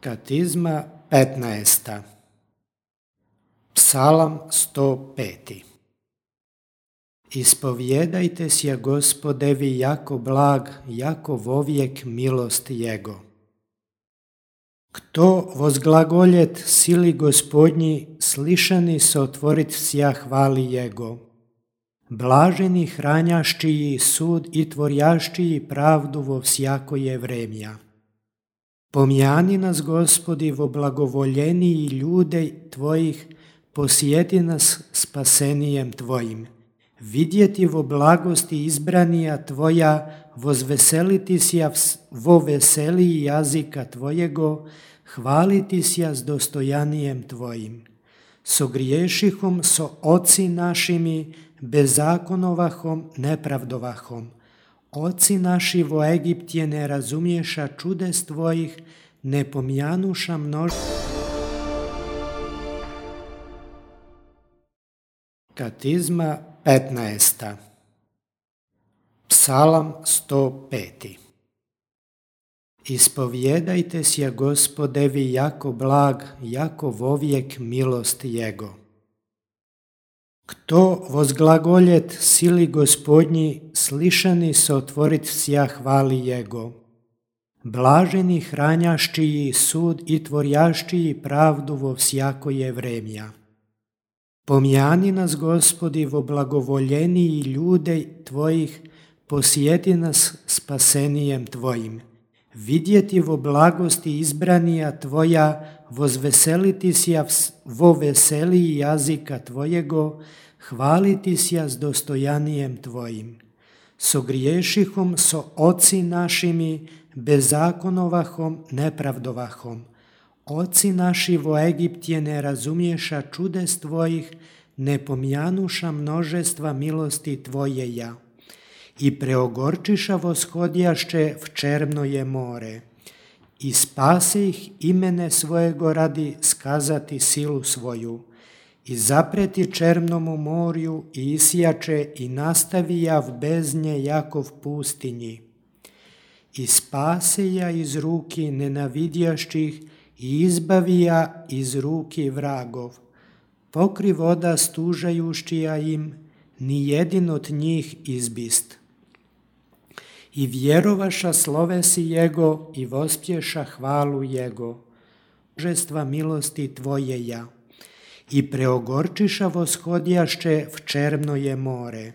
Katizma 15. Psalam 105. Ispovijedajte sja Gospodevi jako blag, jako vovijek milost Jego. Kto vozglagoljet sili Gospodnji, slišani se otvorit sja hvali Jego. Blaženi hranjaščiji sud i tvorjaščiji pravdu vo vsjakoje vremja. Pomjani nas, Gospodi, vo blagovoljeniji ljude Tvojih, posjeti nas spasenijem Tvojim. Vidjeti vo blagosti izbranija Tvoja, vozveseliti sja vo veseliji jazika Tvojego, hvaliti sja s dostojanijem Tvojim. So griješihom, so oci našimi, bezakonovahom, nepravdovahom. Oci naši vo Egiptje ne razumješa čudes Tvojih, ne pomjanuša Katizma 15. Psalam 105. Ispovijedajte sja Gospodevi jako blag, jako vovijek milost Jego. Kto vozglagoljet sili Gospodnji, slišani se otvorit sja hvali Jego. Blaženi hranjaščiji sud i tvorjaščiji pravdu vo vsjakoje vremja. Pomjani nas, Gospodi, vo blagovoljeniji ljude Tvojih, posjeti nas spasenijem Tvojim. Vidjeti vo blagosti izbranija Tvoja, vozveseliti sja vo veseliji jazika Tvojego, hvaliti sja s dostojanijem Tvojim. So griješihom, so oci našimi, bezakonovahom, nepravdovahom. Oci naši vo Egiptje ne razumješa čudes Tvojih, ne pomjanuša množestva milosti Tvojeja. I preogorčiša voshodjašće v čermnoje more. I spase ih imene svojego radi skazati silu svoju. I zapreti čermnomu morju i isjače i nastavija v beznje Jakov pustinji. I spase ja iz ruki nenavidjašćih i izbavija iz ruki vragov. Pokri voda stužajušćija im, ni jedin od njih izbist. I vjerovaša slovesi Jego i vospješa hvalu Jego. Množestva milosti Tvojeja. I preogorčiša voshodjašće v čermnoje more.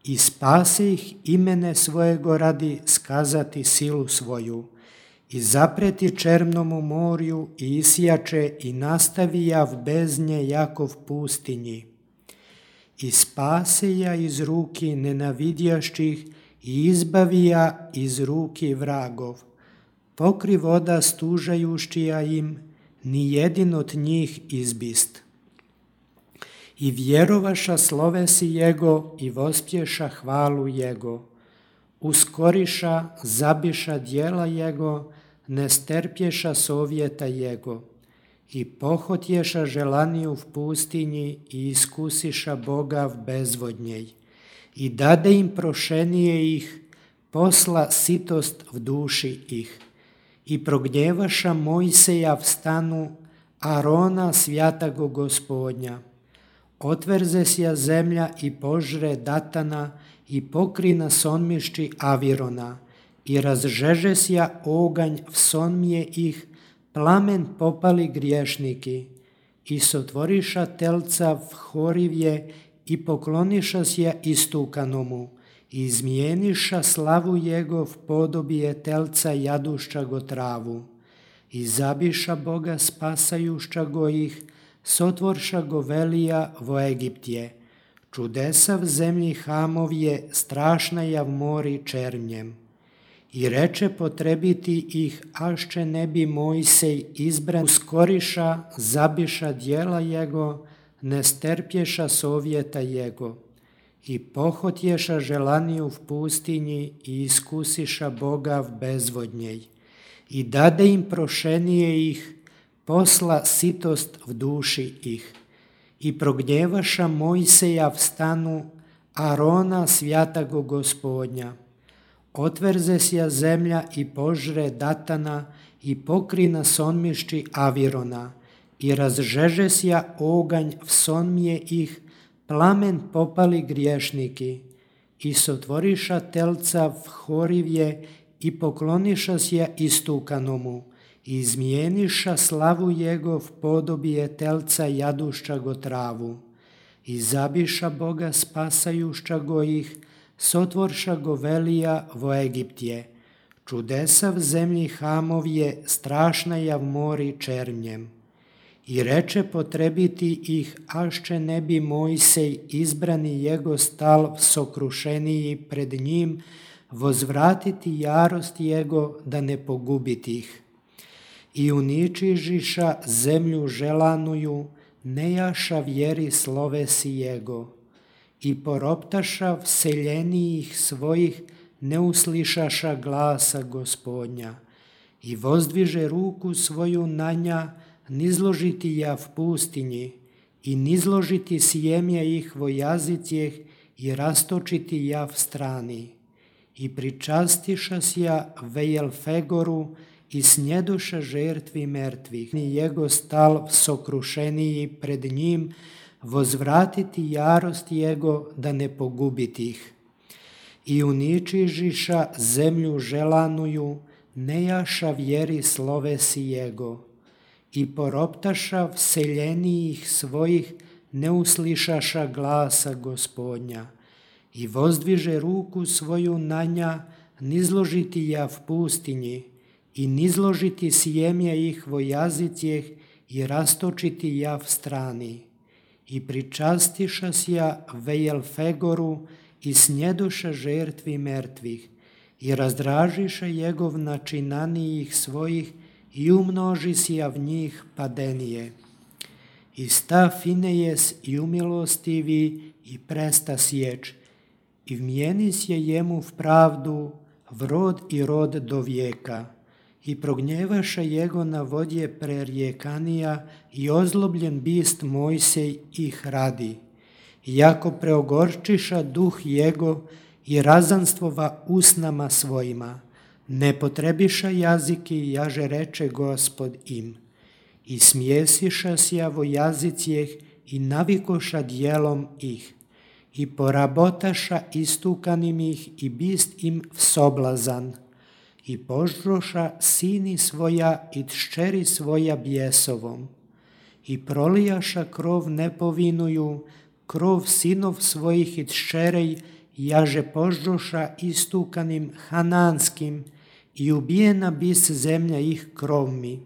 I spase ih imene svojego radi skazati silu svoju. I zapreti čermnomu morju i isjače i nastavija v beznje Jakov pustinji. I spase ja iz ruki nenavidjašćih i izbavija iz ruki vragov. Pokri voda stužajušćija im, ni jedin od njih izbist. I vjerovaša slovesi Jego i vospješa hvalu Jego. Uskoriša, zabiša djela Jego, ne sterpješa sovjeta Jego. I pohotješa želaniju v pustinji i iskusiša Boga v bezvodnjej. I dade im prošenije ih, posla sitost v duši ih. I prognjevaša Mojseja v stanu, Arona svjatago Gospodnja. Otverze sja zemlja i požre Datana i pokrina sonmišći Avirona. I razžeže sja oganj v sonmije ih, plamen popali griješniki. I sotvoriša telca v horivje i pokloniša sja istukanomu. I izmijeniša slavu Jego v podobije telca jadušća go travu. I zabiša Boga spasajušća go ih, sotvorša go velija vo Egiptje. Čudesa v zemlji Hamovje, strašna ja v mori černjem. I reče potrebiti ih, ašće ne bi Mojsej izbran. Uskoriša, zabiša djela Jego, ne sterpješa sovjeta Jego. I pohotješa želaniju v pustinji i iskusiša Boga v bezvodnjej. I dade im prošenije ih, posla sitost v duši ih. I prognjevaša Mojseja v stanu, Arona svjatago Gospodnja. Otverze sja zemlja i požre Datana i pokrina sonmišći Avirona i razžeže sja oganj v sonmije ih, plamen popali griješniki i sotvoriša telca v Horivje i pokloniša sja istukanomu i izmijeniša slavu jegov podobije telca jadušća go travu i zabiša Boga spasajušća go ih, sotvorša go velija vo Egiptje, čudesa v zemlji Hamovje, strašna ja v mori černjem. I reče potrebiti ih, ašće ne bi Mojsej izbrani jego stal sokrušeniji pred njim, vozvratiti jarost jego da ne pogubiti ih. I uničižiša zemlju želanuju, nejaša vjeri slovesi jego. I poroptaša vseljenijih svojih, ne uslišaša glasa Gospodnja. I vozdviže ruku svoju na nja, nizložiti ja v pustinji, i nizložiti sjemje ih vo jazicjeh, i rastočiti ja v strani. I pričastiša sja Vejelfegoru, i snjedoša žertvi mrtvih. I jego stal sokrušeniji pred njim, vozvratiti jarost jego da ne pogubiti ih. I uničižiša zemlju želanuju, nejaša vjeri slovesi jego. I poroptaša vseljenijih svojih, ne uslišaša glasa Gospodnja. I vozdviže ruku svoju na nja, nizložiti ja v pustinji, i nizložiti sjemje ih vo jazicjeh, i rastočiti ja v strani. I pričastiša sja Vejelfegoru, i snjedoša žertvi mrtvih, i razdražiša jegov načinanijih svojih, i umnoži sja v njih padenije. I sta Finejes i umilostivi, i presta sječ, i vmijeni sje jemu v pravdu, v rod i rod do vijeka. I prognjevaša jego na vodje prerjekanija, i ozlobljen bist Mojsej ih radi. Jako preogorčiša duh jego, i razanstvova usnama svojima. Ne potrebiša jaziki, jaže reče Gospod im. I smjesiša sja vo jazicjeh, i navikoša djelom ih. I porabotaša istukanim ih, i bist im vsoblazan. I požroša sini svoja i tščeri svoja bjesovom. I prolijaša krov nepovinuju, krov sinov svojih i tščerej, jaže požroša istukanim hananskim, i ubijena bis zemlja ih krovmi.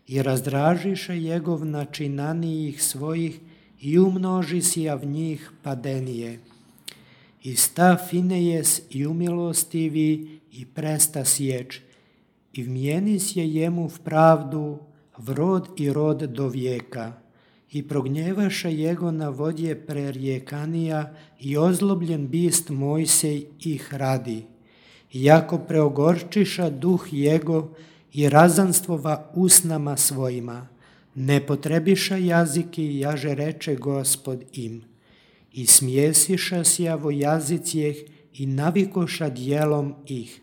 I razdražiša jegov načinanijih svojih, i umnoži sja v njih padenije. I sta Finejes i umilostivi, i presta sječ, i vmijeni sje jemu v pravdu, v rod i rod do vijeka. I prognjevaša jego na vodje prerjekanija, i ozlobljen bist Mojsej ih radi. Jako preogorčiša duh jego, i razanstvova usnama svojima. Ne potrebiša jaziki, jaže reče Gospod im. I smjesiša sja vo jazicjeh, i navikoša djelom ih.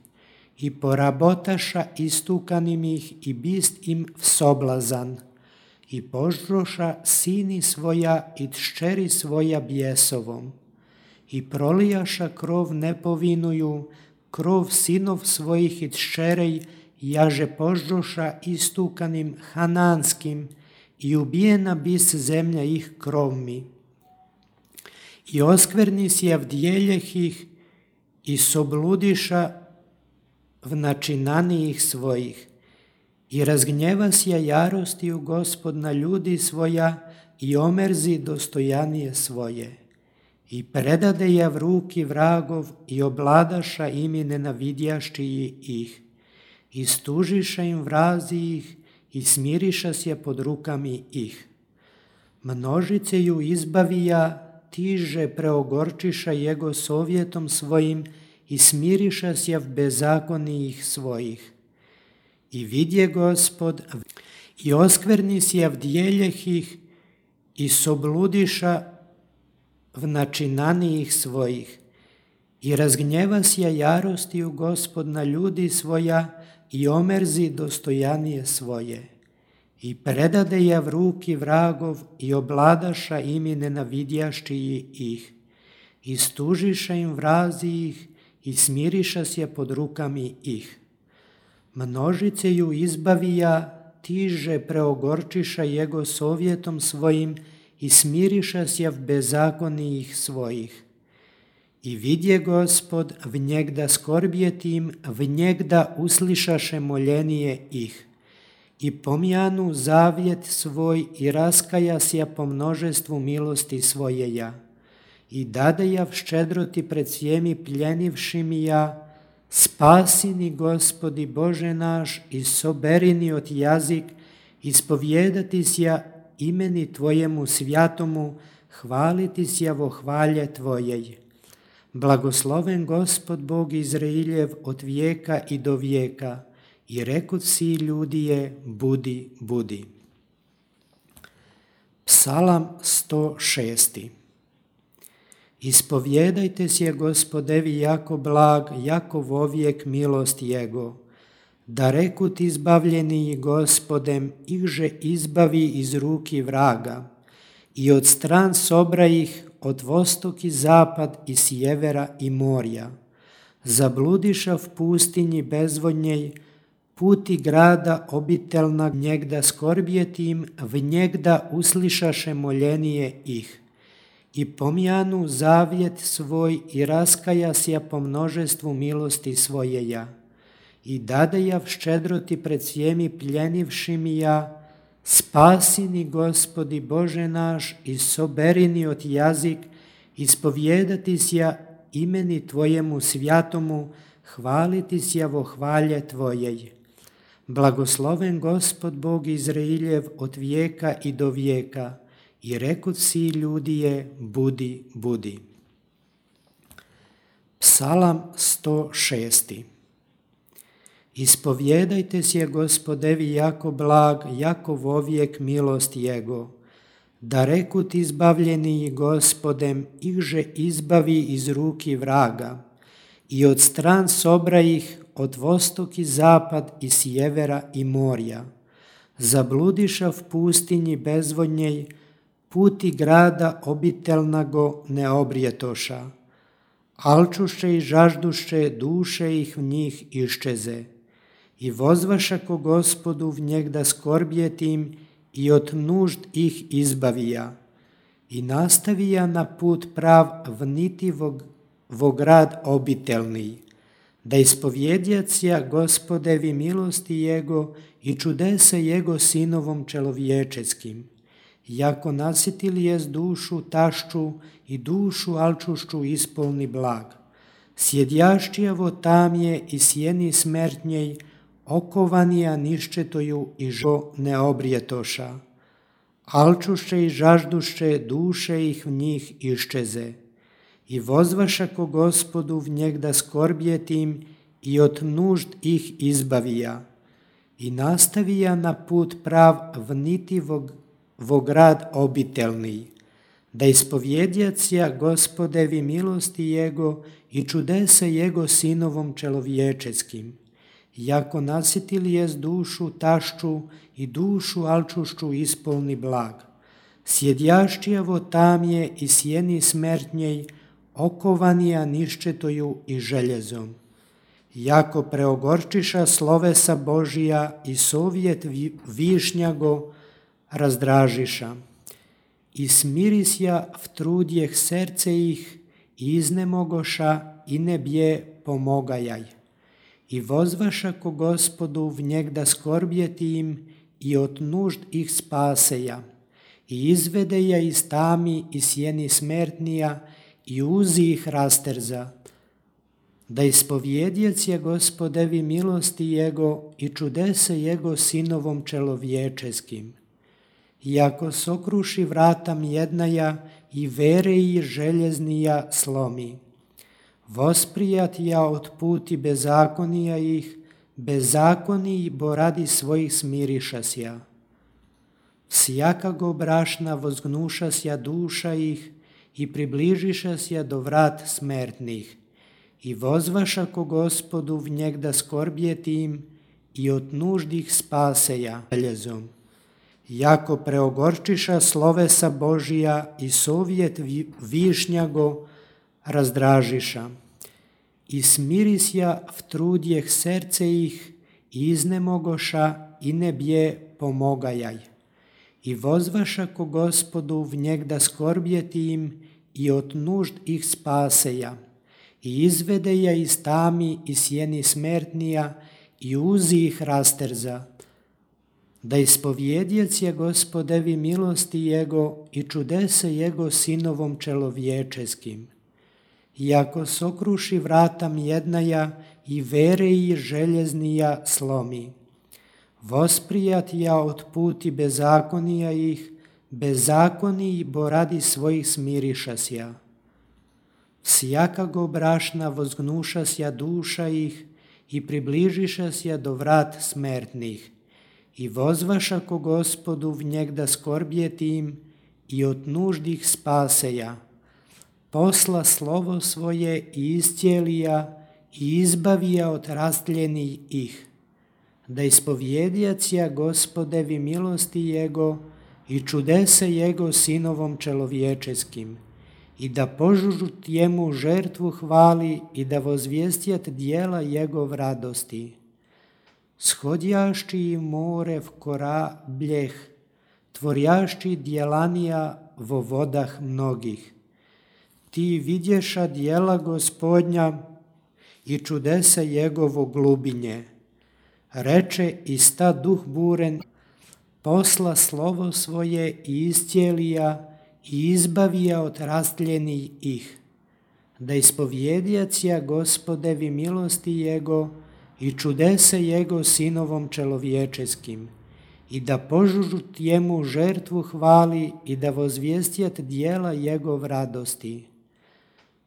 I porabotaša istukanim ih, i bist im vsoblazan. I požroša sini svoja i tščeri svoja bjesovom. I prolijaša krov nepovinuju, krov sinov svojih i tščerej, jaže požroša istukanim hananskim, i ubijena bis zemlja ih krovmi. I oskverni sja v djeljeh ih, i sobludiša v načinanijih svojih. I razgnjeva sja jarostiju Gospod na ljudi svoja, i omerzi dostojanije svoje. I predade ja v ruki vragov, i obladaša imi nenavidjašći ih. I stužiša im vrazi ih, i smiriša sja pod rukami ih. Množice ju izbavija, tiže preogorčiša jego sovjetom svojim, i smiriša sja v bezakonijih svojih. I vidje Gospod, i oskverni sja v djeljeh ih, i sobludiša v načinanijih svojih. I razgnjeva sja jarostiju Gospod na ljudi svoja i omerzi dostojanije svoje. I predade ja v ruki vragov i obladaša imi nenavidjašći ih. I stužiša im vrazi ih i smiriša sje pod rukami ih. Množice ju izbavija, tiže preogorčiša jego sovjetom svojim i smiriša sje v bezakonijih svojih. I vidje Gospod v njegda skorbjetim, v njegda uslišaše moljenije ih. I pomjanu zavjet svoj i raskaja sja po množestvu milosti svojeja. I dade ja v ščedroti pred svjemi pljenivšimi ja, spasini Gospodi Bože naš i soberini od jazik, ispovjedati sja imeni Tvojemu svjatomu, hvaliti sja vo hvalje Tvojej. Blagosloven Gospod Bog Izrailjev od vijeka i do vijeka, i rekut si ljudije, budi, budi. Psalam 106. Ispovjedajte sje Gospodevi jako blag, jako vovijek milost Jego. Da rekut izbavljeni Gospodem, ihže izbavi iz ruki vraga, i od stran sobra ih, od vostok i zapad i sjevera i morja. Zabludiša v pustinji bezvodnjej, puti grada obitelna njegda skorbjetim, v njegda uslišaše moljenije ih. I pomjanu zavjet svoj i raskaja sja po množestvu milosti svojeja. I dade ja v ščedroti pred svjemi pljenivšimi ja, spasini Gospodi Bože naš i soberini od jazik, ispovjedati sja imeni Tvojemu svjatomu, hvaliti sja vo hvalje Tvojej. Blagosloven Gospod Bog Izrailjev od vijeka i do vijeka, i rekut si ljudije, budi, budi. Psalam 106. Ispovjedajte sje Gospodevi jako blag, jako vovijek milost Jego. Da rekut izbavljeni Gospodem, ihže izbavi iz ruki vraga, i od stran sobra ih, od vostok i zapad i sjevera i morja. Zabludiša v pustinji bezvodnjej, puti grada obitelnago ne obrijetoša. Alčuše i žažduše, duše ih v njih iščeze. I vozvaša ko Gospodu v njegda skorbjetim i od nužd ih izbavija. I nastavija na put prav v niti vo grad obitelni. Da ispovjedjacija Gospodevi milosti Jego i čudese Jego sinovom čelovječeskim. Jako nasitili je dušu tašču i dušu alčušću ispolni blag. Sjedjašćijavo tamje i sjeni smrtnjej, okovanija niščetoju i žo ne obrijetoša. Alčuše i žažduše, duše ih v njih iščeze. I vozvaša ko Gospodu v njegda skorbjetim i od nužd ih izbavija. I nastavija na put prav v niti vo grad obitelni. Da ispovjedjacija Gospodevi milosti Jego i čudese Jego sinovom čelovječeskim. Jako nasitili je dušu tašču i dušu alčušću ispolni blag. Sjedjašćijavo tamje i sjeni smrtnjej, okovanija niščetoju i željezom. Jako preogorčiša slovesa Božija i sovjet višnjago razdražiša. I smirisja v trudjeh serce ih, i iznemogoša i ne bje pomogajaj. I vozvaša ko Gospodu v njegda skorbjeti im i od nužd ih spaseja. I izvede ja iz tami i sjeni smrtnija i uzi ih rasterza. Da ispovjedjacija Gospodevi milosti Jego i čudese Jego sinovom čelovječeskim. Iako sokruši vrata mjednaja i vereji željeznija slomi. Vosprijat ja od puti bezakonija ih, bezakoniji bo radi svojih smirišasja. Sjakago brašna vozgnušasja duša ih i približišasja do vrat smrtnih. i vozvaša ko Gospodu v njegda skorbjetim i od nuždih spaseja željezom. Jako preogorčiša slovesa Božija i sovjet višnjago razdražiša. I smirisja v trudjeh serce ih i iznemogoša i ne bje pomogajaj. I vozvaša ko Gospodu v njegda skorbjetim i od nužd ih spaseja. I izvede ja iz tami i sjeni smertnija i uzi ih rasterza. Da ispovjedjec je Gospodevi milosti Jego i čudese Jego sinovom čelovječeskim. Iako sokruši vratam jednaja i vere i željeznija slomi. Vosprijat ja od puti bezakonija ih, bezakoniji bo radi svojih smirišasja. Sjakago brašna vozgnušasja duša ih i približišasja do vrat smertnih. I vozvaša ko Gospodu v njegda skorbjetim i od nuždih spaseja. Posla slovo svoje i iscijelija i izbavija od rastljenih ih. Da ispovjedjac ja Gospodevi milosti Jego i čudese Jego sinovom čelovječeskim. I da požužut jemu žertvu hvali i da vozvijestjat dijela Jegov radosti. Shodjašći more v kora bljeh, tvorjašći djelanija vo vodah mnogih. Ti vidješa dijela Gospodnja i čudese Jegovo glubinje. Reče i sta duh buren, posla slovo svoje i iscijelija i izbavija od rastljenih ih. Da ispovjedjac ja Gospodevi milosti Jego i čudese Jego sinovom čelovječeskim. I da požužut jemu žertvu hvali i da vozvijestjat dijela Jegov radosti.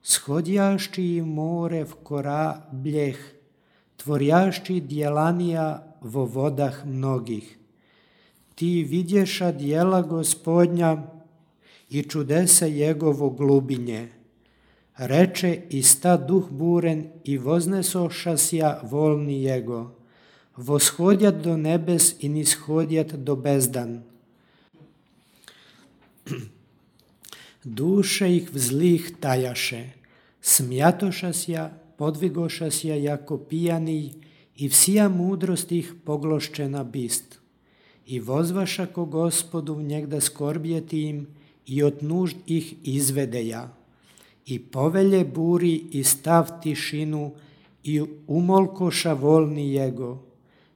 Shodjašći more v kora bljeh, tvorjašći djelanija vo vodah mnogih. Ti vidješa dijela Gospodnja i čudese Jegovo glubinje. Reče i sta duh buren i voznesošasja volni Jego. Voshodjat do nebes i nishodjat do bezdan. Duše ih vzlih tajaše, smjatošasja, podvigošasja jako pijani i vsija mudrost ih pogloščena bist. I vozvaša ko Gospodu v njegda skorbjetim i od nužd ih izvedeja. I povelje buri i stav tišinu i umolkoša volni Jego.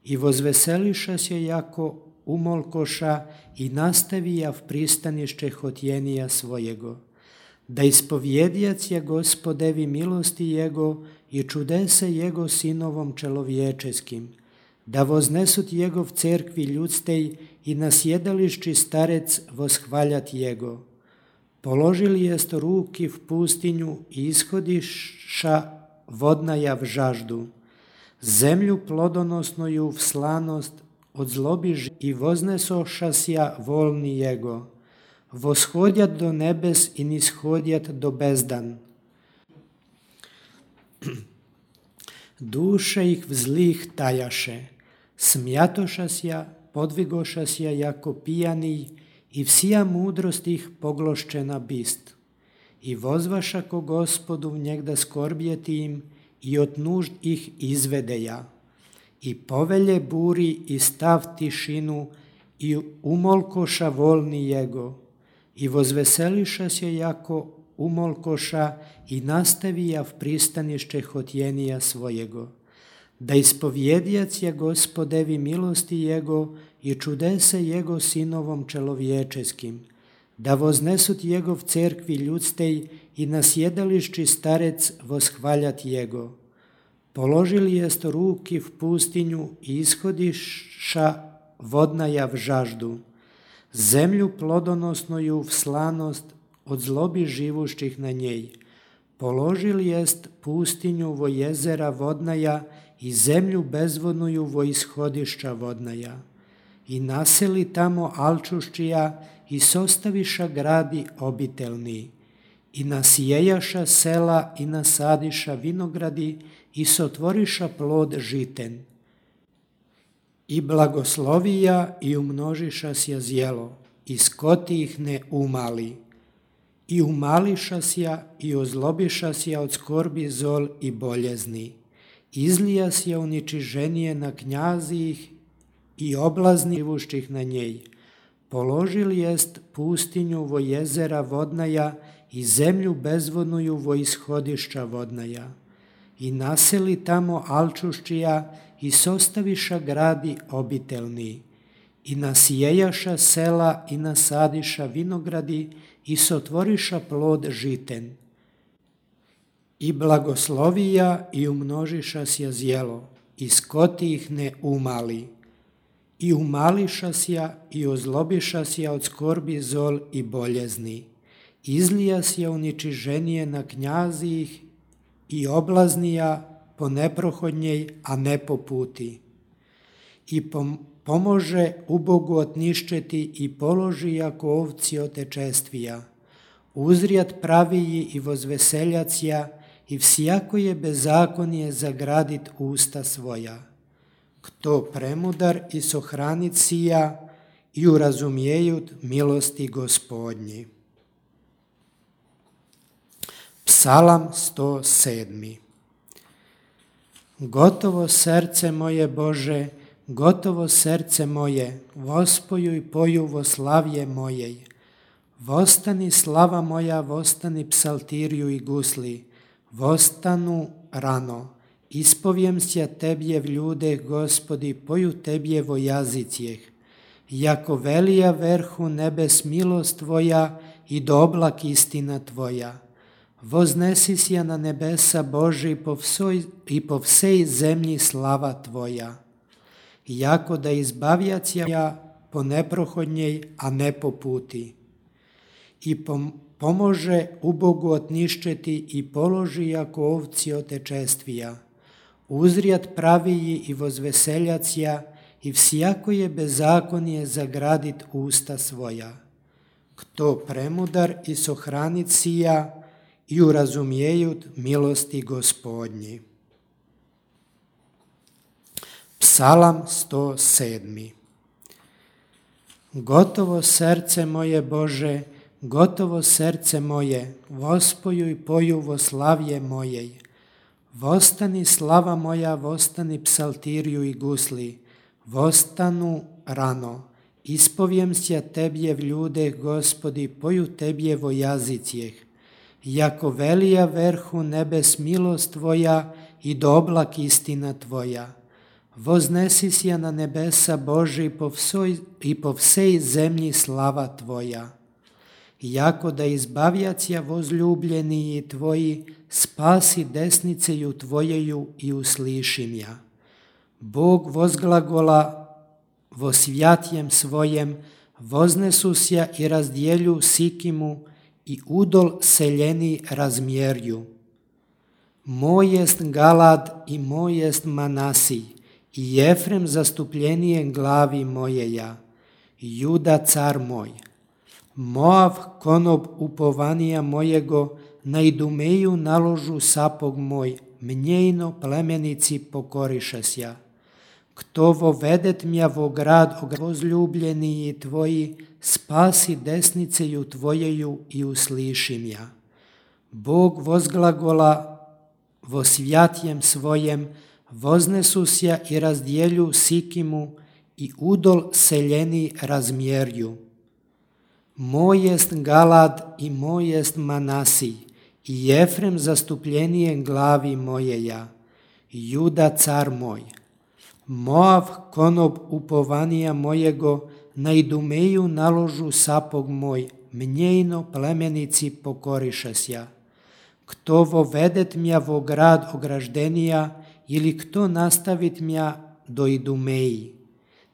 I vozveseliša se jako umolkoša i nastavija v pristanište hotjenija svojego. Da ispovjedjac je Gospodevi milosti Jego i čudese Jego sinovom čelovječeskim. Da voznesut Jegov cerkvi ljudstej i na sjedališči starec voshvaljat Jego. Položili jest ruki v pustinju i ishodiša vodnaja v žaždu. Zemlju plodonosnoju v slanost od zlobi i voznesošasja volni Jego. Voshodjat do nebes i nishodjat do bezdan. Duše ih vzlih tajaše, smjatošasja, podvigošasja jako pijani i vsija mudrost ih pogloščena bist. I vozvaša ko Gospodu v njegda skorbjetim i od nužd ih izvedeja. I povelje buri i stav tišinu i umolkoša volni Jego. I vozveseliša se jako umolkoša i nastavija v pristanište hotjenija svojego. Da ispovjedjac je Gospodevi milosti Jego i čudese Jego sinovom čelovječeskim. Da voznesut Jegov cerkvi ljudstej i na sjedališči starec voshvaljat Jego. Položili jest ruki v pustinju i ishodiša vodnaja v žaždu. Zemlju plodonosnoju v slanost od zlobi živušćih na njej. Položili jest pustinju vo jezera vodnaja i zemlju bezvodnuju vo ishodišća vodnaja. I naseli tamo alčuščija i sostaviša gradi obitelni. i nasjejaša sela i nasadiša vinogradi i sotvoriša plod žiten. I blagoslovija i umnožiša sja zjelo, i skoti ih ne umali. I umališa sja i ozlobiša sja od skorbi zol i boljezni. Izlija sja uničiženije na knjazih i oblazni živušćih na njej. Položili jest pustinju vo jezera vodnaja i zemlju bezvodnuju vo ishodišća vodnaja. I naseli tamo alčuščija i sostaviša gradi obitelni. I nasjejaša sela i nasadiša vinogradi i sotvoriša plod žiten. I blagoslovija i umnožiša sja zjelo, i skoti ih ne umali. I umališa sja i ozlobiša sja od skorbi zol i boljezni. Izlija sja uničiženije na knjazih i oblaznija po neprohodnjej, a ne po puti. I pomože ubogu otniščeti i položi jako ovci otečestvija. Uzrijat praviji i vozveseljacija i всяко je bezakonje zagradit usta svoja. Kto premudar i sohranit sija i urazumijejut milosti Gospodnji. Psalam 107. Gotovo srce moje Bože, gotovo srce moje, vospoju i poju vo slavje mojej. Vostani slava moja, vostani psaltiriju i gusli, vostanu rano. Ispovijem sja Tebje v ljudeh, Gospodi, poju Tebje vo jazicijeh. Jako velija verhu nebes milost Tvoja i do oblak istina Tvoja. Voznesi sja na nebesa Boži i po vsej zemlji slava Tvoja. Jako da izbavjacija po neprohodnjej, a ne po puti. I pomože ubogu otniščeti i položi jako ovci otečestvija. Uzrijat praviji i vozveseljacija i всяко je bezakonje zagradit usta svoja. Kto premudar i sohranit sija i urazumijejut milosti Gospodnji. Psalam 107. Gotovo srce moje Bože, gotovo srce moje, vospoju i poju vo slavje mojej. Vostani slava moja, vostani psaltiriju i gusli, vostanu rano. Ispovijem sja Tebje v ljudeh, Gospodi, poju Tebje vo jazicijeh. Jako velija verhu nebes milost Tvoja i do oblak istina Tvoja. Voznesi sja na nebesa Boži i po vsej zemlji slava Tvoja. Jako da izbavjacija vozljubljeniji Tvoji, spasi desniceju Tvojeju i uslišim ja. Bog vozglagola vo svjatjem svojem, voznesusja i razdjelju sikimu i udol seljeni razmjerju. Moj jest Galad i moj jest Manasij, i Jefrem zastupljenije glavi mojeja, Juda car moj. Moav konob upovanija mojego, na Idumeju naložu sapog moj, mnjejno plemenici pokoriša sja. Kto vovedet mja vo grad vozljubljeniji Tvoji, spasi desniceju Tvojeju i uslišim ja. Bog vozglagola vo svjatjem svojem, voznesusja i razdjelju sikimu i udol seljeni razmjerju. Moj jest Galad i moj jest Manasij, i Jefrem zastupljenije glavi mojeja, Juda car moj. Moav konob upovanija mojego, na Idumeju naložu sapog moj, mnjejno plemenici pokoriša sja. Kto vovedet mja vo grad ograždenija, ili kto nastavit mja do Idumeji.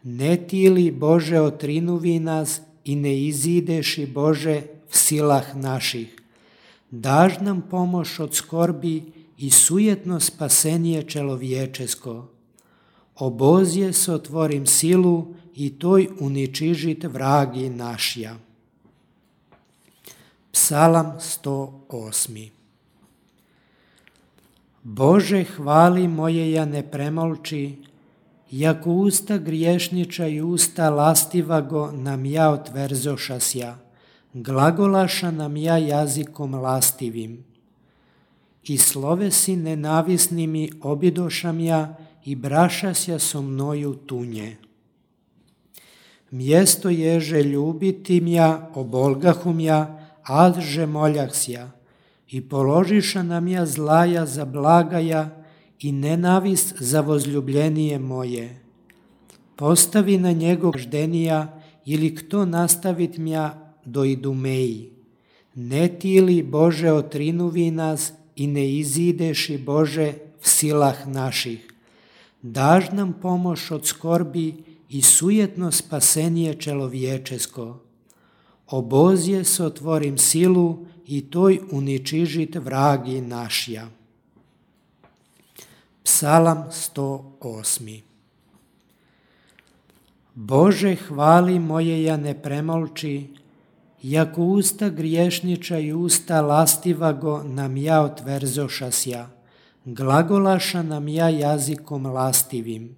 Ne ti li, Bože, otrinuvi nas i ne izideši, Bože, v silah naših. Daž nam pomoć od skorbi i sujetno spasenje čelovječesko. Obozje sotvorim silu i toj uničižit vragi našja. Psalam 108. Bože, hvali moje ja ne premolči, jako usta griješniča i usta lastivago nam ja otverzošasja, glagolaša nam ja jazikom lastivim. I slovesi nenavisnimi obidošam ja i brašasja so mnoju tunje. Mjesto ježe ljubitim ja, obolgahum ja, adže moljahsja, i položiša nam ja zlaja za blagaja i nenavist za vozljubljenije moje. Postavi na njegov ždenija ili kto nastavit mja do idumeji. Ne ti li, Bože, otrinuvi nas i ne izideši, Bože, v silah naših. Daž nam pomoć od skorbi i sujetno spasenije čelovječesko. Obozje se otvorim silu i toj uničižit vragi našja. Psalam 108. Bože, hvali moje ja ne premolči, jako usta griješniča i usta lastivago nam ja otverzošasja, glagolaša nam ja jazikom lastivim.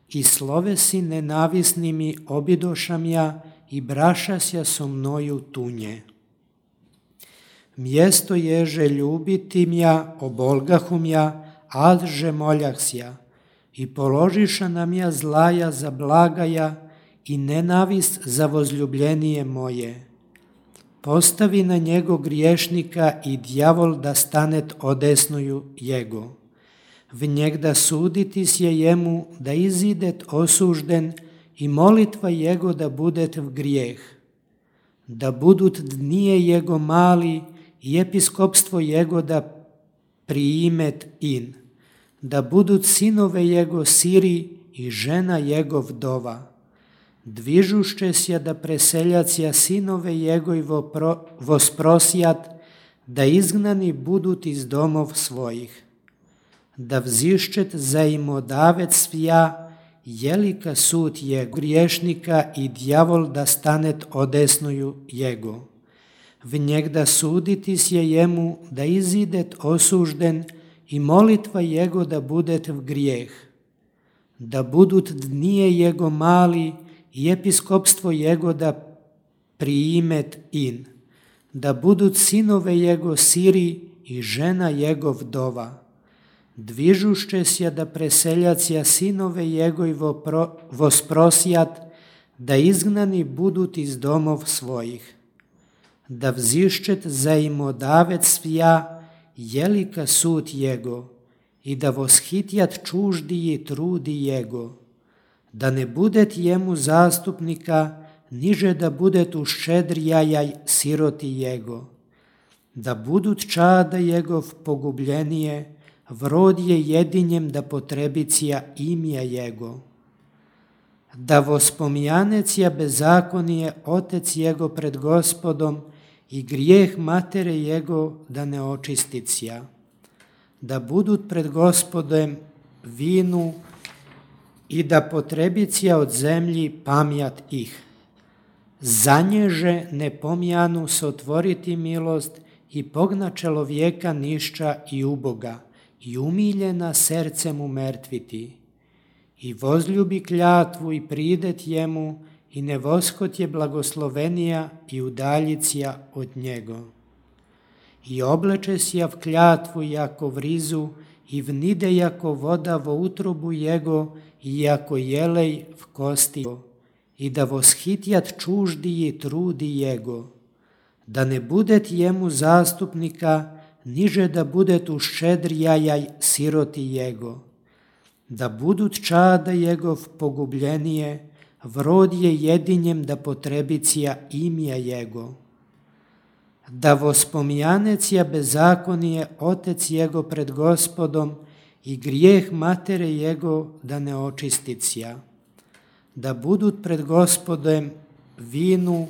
I slovesi nenavisnimi obidošam ja i brašasja so mnoju tunje. Mjesto ježe ljubitim ja, obolgahum ja, adže moljahsja, i položiša nam ja zlaja za blagaja i nenavist za vozljubljenije moje. Postavi na njego griješnika i djavol da stanet odesnuju jego. V njeg da suditis je jemu da izidet osužden i molitva jego da budet v grijeh. Da budut dnije jego mali i episkopstvo jego da priimet in. Da budut sinove jego siri i žena jego vdova. Dvižušće sja da preseljacija sinove jegoj vosprosjat, da izgnani budut iz domov svojih. Da vzišćet zaimodavec svija, jelika sud je griješnika i djavol da stanet odesnuju jego. V njeg da suditis je jemu da izidet osužden i molitva jego da budet v grijeh. Da budut dnije jego mali i episkopstvo jego da priimet in. Da budut sinove jego siri i žena jego vdova. Dvižušće sja da preseljacija sinove jegoj vosprosjat, da izgnani budut iz domov svojih. Da vzišćet zaimodavec svija, jelika sud jego, i da voshitjat čuždiji trudi jego. Da ne budet jemu zastupnika, niže da budet uščedrijajaj siroti jego. Da budut čada jegov pogubljenije, vrod je jedinjem da potrebicija imja jego. Da vospomjanecija bezakonije otec jego pred Gospodom i grijeh matere jego da ne očisticija. Da budut pred Gospodem vinu i da potrebicija od zemlji pamjat ih. Zanježe ne pomjanu se otvoriti milost i pogna čelovjeka nišća i uboga i umiljena sercem umrtviti. I vozljubi kljatvu i pridet jemu i ne voskot je blagoslovenija i udaljicija od njego. I obleče sja v kljatvu jako vrizu i vnide jako voda vo utrobu jego i jako jelej v kosti i da voshitjat čuždiji trudi jego. Da ne budet jemu zastupnika, niže da budet uščedrijajaj siroti jego. Da budut čada jegov pogubljenije, vrod je jedinjem da potrebicija imja jego. Da vospomjanecija bezakonije otec jego pred Gospodom i grijeh matere jego da ne očisticija. Da budut pred Gospodem vinu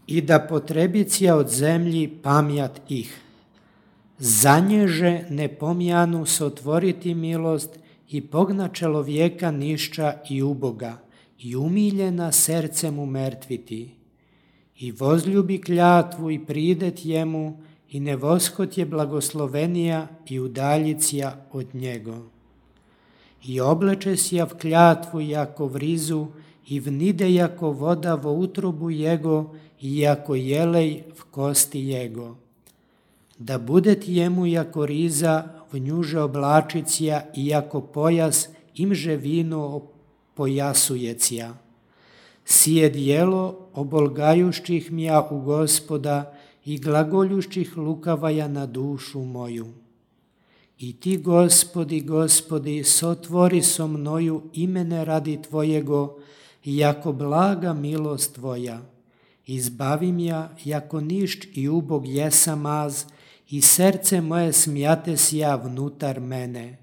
i da potrebicija od zemlji pamjat ih. Zanježe ne pomjanu se otvoriti milost i pogna čelovjeka nišća i uboga i umiljena sercem umrtviti. i vozljubi klятву i pridet jemu i ne voshot je blagoslovenija i udaljicija od njego. I obleče sja v klятву jako v rizu i vnide jako voda vo utrobu jego i jako jelej v kosti jego. Da budet jemu jako riza v njuže oblačicija i jako pojas imže vino pojasujecija. Sije dijelo obolgajušćih mja u Gospoda i glagoljušćih lukavaja na dušu moju. I ti, Gospodi, Gospodi, sotvori so mnoju imene radi Tvojego, jako blaga milost Tvoja. Izbavim ja, jako nišć i ubog jesam az, i srce moje smijate sja vnutar mene.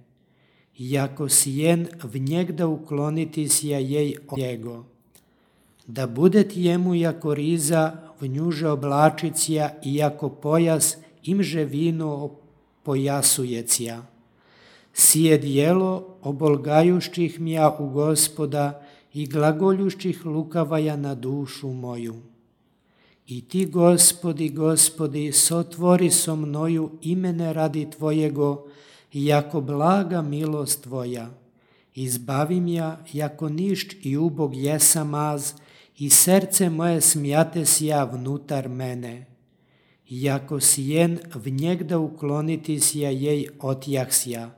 Jako sijen v njegda ukloniti sja jej od njego. Da budet jemu jako riza v njuže oblačicija i jako pojas imže vino pojasujecija. Sije dijelo obolgajušćih mja u Gospoda i glagoljušćih lukavaja na dušu moju. I ti, Gospodi, Gospodi, sotvori so mnoju imene radi Tvojego, jako blaga milost Tvoja. Izbavim ja, jako nišć i ubog jesam az, i srce moje smijate sja vnutar mene. Jako sijen v njegda ukloniti sja jej otjahsja.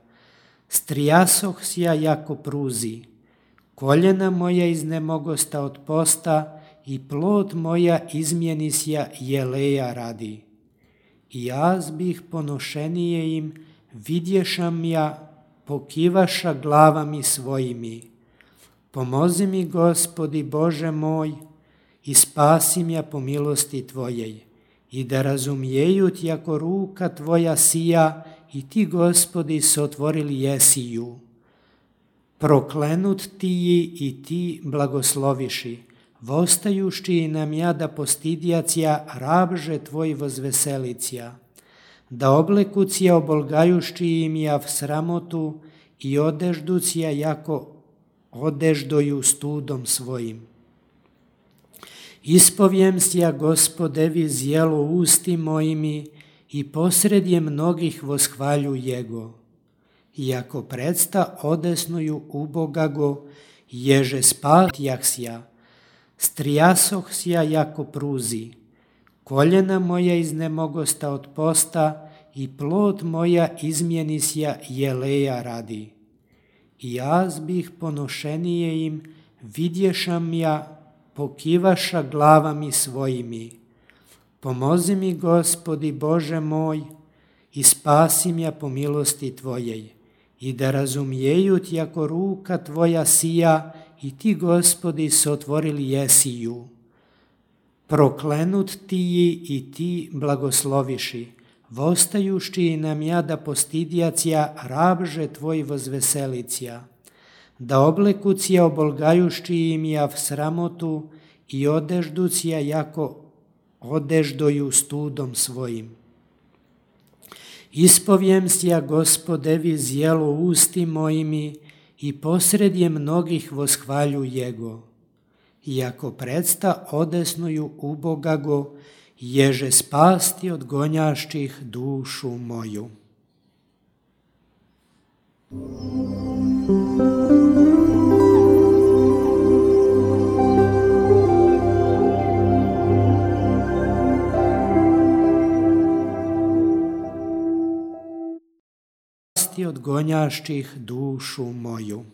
Strijasoh sja jako pruzi. Koljena moja iznemogosta od posta i plod moja izmjenisja jeleja radi. I jaz bih ponošenije im, vidješam ja, pokivaša glavami svojimi. Pomozi mi, Gospodi Bože moj, i spasim ja po milosti Tvojej, i da razumijeju jako ruka Tvoja sija, i ti, Gospodi, sotvorili jesiju. Proklenut ti i ti blagosloviši, vostajušći nam ja da postidjacija rabže Tvoj vozveselicija, da oblekucija obolgajušći im ja v sramotu i odežducija jako odeždoju studom svojim. Ispovjem sja, Gospodevi, zjelo usti mojimi i posredje mnogih voshvalju Jego. Iako predsta odesnuju ubogago, ježe spatjah sja, strijasoh sja jako pruzi, koljena moja iznemogosta od posta i plod moja izmjenisja jeleja radi. I jaz bih ponošenije im, vidješam ja, pokivaša glavami svojimi. Pomozi mi, Gospodi Bože moj, i spasim ja po milosti Tvojej, i da razumijeju jako ruka Tvoja sija, i ti, Gospodi, sotvorili jesiju. Proklenut ti i ti blagosloviši, vostajušći nam ja da postidjacija rabže Tvoj vozveselicija, da oblekucija obolgajušći im ja v sramotu i odežducija jako odeždoju studom svojim. Ispovjem sja, Gospodevi, zjelo usti mojimi i posredje mnogih voshvalju Jego. Iako predsta odesnuju ubogago, ježe spasti od gonjašćih dušu moju. Spasti od gonjašćih dušu moju.